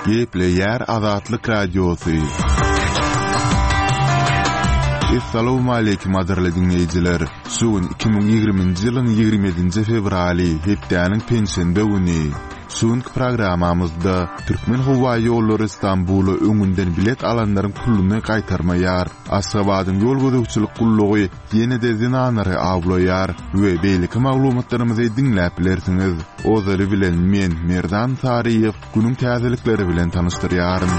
Gepleýär Azatlyk Radiosy. Essalawmaleýkim gadyrly diňleýjiler! Şu gün 2020-nji ýylyň 27-nji fewraly, hepdäniň penşenbe güni. Şu günki programmamyzda Türkmenhowaýollary Stambula öňünden bilet alanlaryň puluny gaýtarmaýar, Aşgabadyň ýol gözegçilik gullugy ýene-de zenanlary awlaýar we beýleki maglumatlarymyzy diňläp bilersiňiz. Ozaly bilen men, Merdan Saryýew, günüň täzelikleri bilen tanyşdyrýaryn.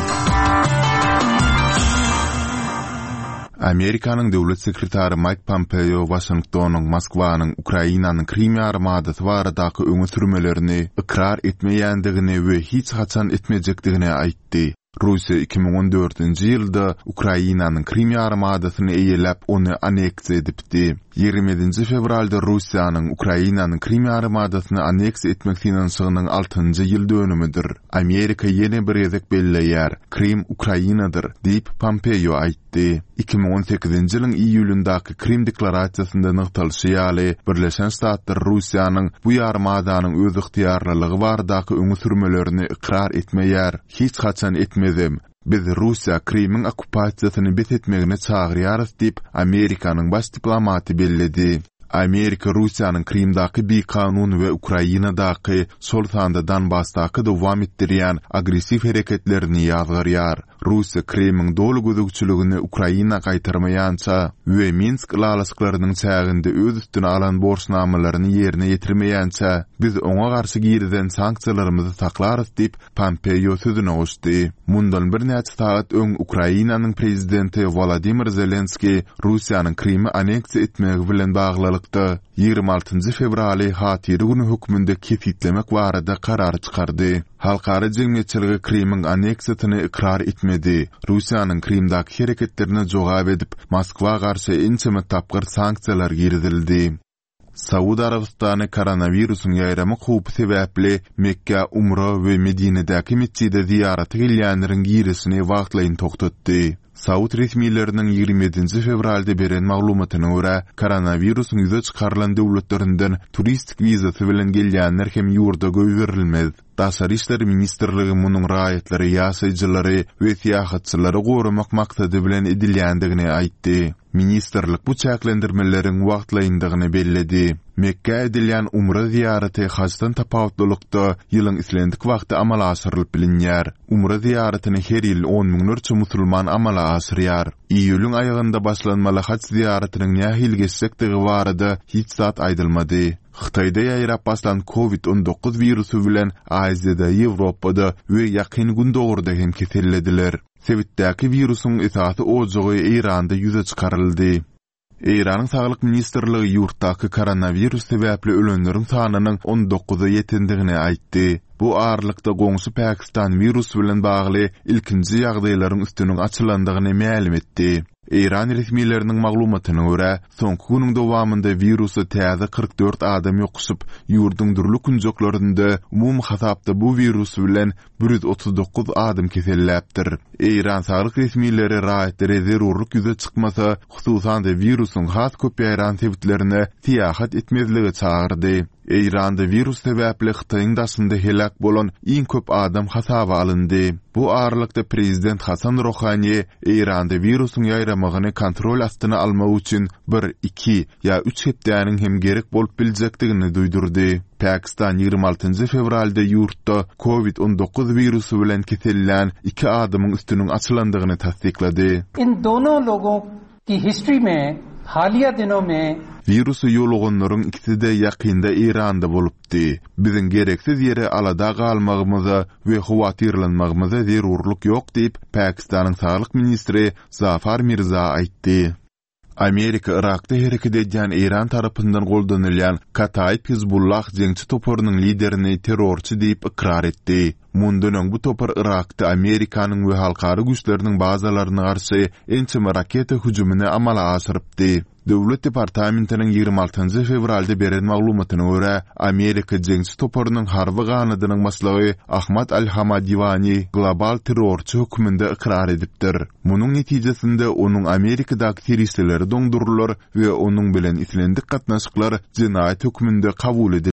Amerikanyň döwlet sekretary Maýk Pompeo Waşingtonyň Moskwanyň Ukrainanyň Krym ýarymadasy baradaky öňe sürmelerini ykrar etmeýändigini we hiç haçan etmejekdigini aýtdy. Russiýa 2014-nji ýylda Ukrainanyň Krym ýarymadasyny eýeläp, ony anneksiýa edipdi. 27-nji fewralda Russiýanyň Ukrainanyň Krym ýarymadasyny anneksiýa etmek synanyşygynyň altynjy ýyl dönümidir. Amerika ýene bir gezek belleýär, Krym Ukrainadyr, diýip, Pompeo aýtdy. 2018-nji ýylyň iýulyndaky Krym deklarasiýasynda nygtalyşy ýaly, Birleşen Ştatlar Russiýanyň bu ýarymadanyň özygtyýarlylygy baradaky öňe sürmelerini ykrar etmeýär, hiç haçan etmezem. Biz Russiýa Krymyň okkupasiýasyny bes etmegine çagyrýarys diýip, Amerikanyň baş diplomaty belledi. Amerika Russiýanyň Krymdaky bikanun we Ukrainadaky, şol sanda Donbasdaky dowam etdirýän agressiw hereketlerini ýazgarýar. Russiýa Krymyň doly gözegçiligini Ukraina gaýtarmaýança we Minsk ylalaşyklarynyň çäginde öz üstüne alan borçnamalaryny ýerine ýetirmeýänçä, biz oňa garşy girizen sanksiýalarymyzy saklarys diýip, Pompeo sözüne goşdy. Mundan birnäçe sagat öň Ukrainanyň prezidenti Wolodymyr Zelenskiý Russiýanyň Krymy anneksiýa etmegi bilen baglylykda, 26 njy fewraly Hatyra güni hökmünde kesgitlemek barada karar çykardy. Halkara jemgyýetçiligi Krymyň anneksiýasyny ykrar etmedi. Russiýanyň Krymdaky hereketlerine jogap edip, Moskwa garşy ençeme tapgyr sanksiýalar girizildi. Saud Arabystany koronawirusyň ýaýramak howpy sebäpli Mekgä umra we Medinedäki metjide zyýarata gelýänleriň girişini wagtlaýyn togtatdy. Saud resmileriniň 27-nji fewralda beren maglumatyna görä, koronawirusyň ýüze çykarylan döwletlerinden turistik wizasy bilen gelýänler hem ýurda goýberilmez. Daşary işler ministrligi munuň raýatlary, ýaşaýjylary we syýahatçylary goramak maksady bilen edilýändigini aýtdy. Ministrlik bu çäklendirmeleriň wagtlaýyndygyny belledi. Mekgä edilýän umra zyýaraty hajdan tapawutlylykda ýylyň islendik wagty amala aşyrylyp bilinýär. Umra zyýaratyny her ýyl on müňlerçe musulman amala aşyrýar. Iýulyň aýagynda başlanmaly haj zyýaratynyň nähili geçjekdigi barada hiç zat aýdylmady. Hytaýda ýaýrap başlan Covid 19 wirusy bilen Aziýada, Ýewropada we Ýakyn Gündogarda hem kesellediler. Sebitdäki wirusyň esasy ojagy Eýranda ýüze çykaryldy. Eýranyň Saglyk ministrligi ýurtdaky koronawirus sebäpli ölenleriň sanynyň on dokuza ýetendigini aýtdy. Bu aralykda goňşy Pakistan wirus bilen bagly ilkinji ýagdaýlaryň üstüniň açylandygyny mälim etdi. Eýran resmileriniň maglumatyna görä, soňky günüň dowamynda wirusa täze 44 adam ýokuşyp, ýurduň dürli künjeklerinde umumy hasapda bu wirus bilen 139 adam keselläpdir. Eýran saglyk resmileri raýatlary zerurlyk ýüze çykmasa, hususan-da wirusyň has köp ýaýran sebitlerine syýahat etmezlige çagyrdy. Eýranda wirus sebäpli Hytaýyň daşynda heläk bolan iň köp adam hasaba alyndy. Bu aralykda prezident Hasan Rohani Eýranda wirusyň ýaýramagyny kontrol astyna almak üçin bir, iki ýa üç hepdäniň hem gerek bolup biljekdigini duýdurdy. Pakistan 26 njy fewralda ýurtda Covid 19 wirusy bilen kesellän iki adamyň üstüniň açylandygyny tassyklady. In dono logon ki history mein haliya dino mein. Wirusa ýoluganlaryň ikisi-de ýakynda Eýranda bolupdy. Biziň gereksiz ýere alada galmagymyza we howatyrlanmagymyza zerurlyk ýok diýip, Pakistanyň saglyk ministri Zafar Mirza aýtdy. Amerika Yrakda hereket edýän Eýran tarapyndan goldanylýan Kataib Hizbullah jeňçi toparynyň liderini terrorçy diýip ykrar etdi. Mundan öň bu topar Yrakda Amerikanyň we halkara güýçleriniň bazalaryna garşy ençeme raketa hüjümini amala aşyrypdy. Döwlet departamentiniň 26 fewralda beren maglumatyna görä, Amerika jeňçi toparynyň harby ganadynyň başlygy Ahmad al-Hamadiwani global terrorçy hökmünde ykrar edipdir. Munuň netijesinde onuň Amerikadaky serişdeleri doňdurylar we onuň bilen islendik gatnaşyklar jenaýat hökmünde kabul ediler.